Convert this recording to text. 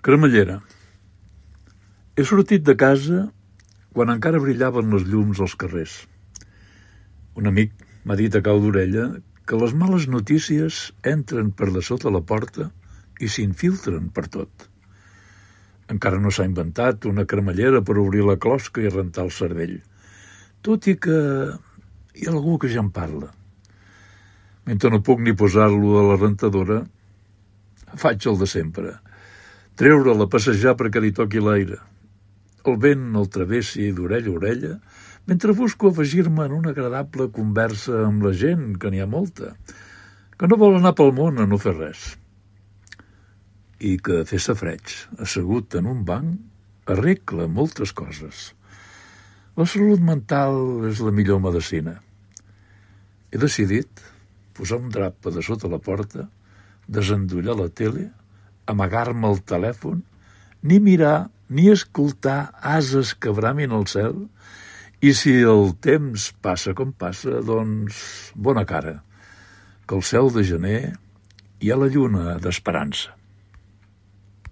Cremallera. He sortit de casa quan encara brillaven les llums als carrers. Un amic m'ha dit a cau d'orella que les males notícies entren per de sota la porta i s'infiltren per tot. Encara no s'ha inventat una cremallera per obrir la closca i rentar el cervell, tot i que hi ha algú que ja en parla. Mentre no puc ni posar-lo a la rentadora, faig el de sempre. Treure-la a passejar perquè li toqui l'aire. El vent el travessi d'orella a orella, mentre busco afegir-me en una agradable conversa amb la gent, que n'hi ha molta, que no vol anar pel món a no fer res. I que fer safareig, assegut en un banc, arregla moltes coses. La salut mental és la millor medecina. He decidit posar un drap a de sota la porta, desendollar la tele, amagar-me el telèfon, ni mirar ni escoltar ases que bramin al cel, i si el temps passa com passa, doncs bona cara, que al cel de gener hi ha la lluna d'esperança.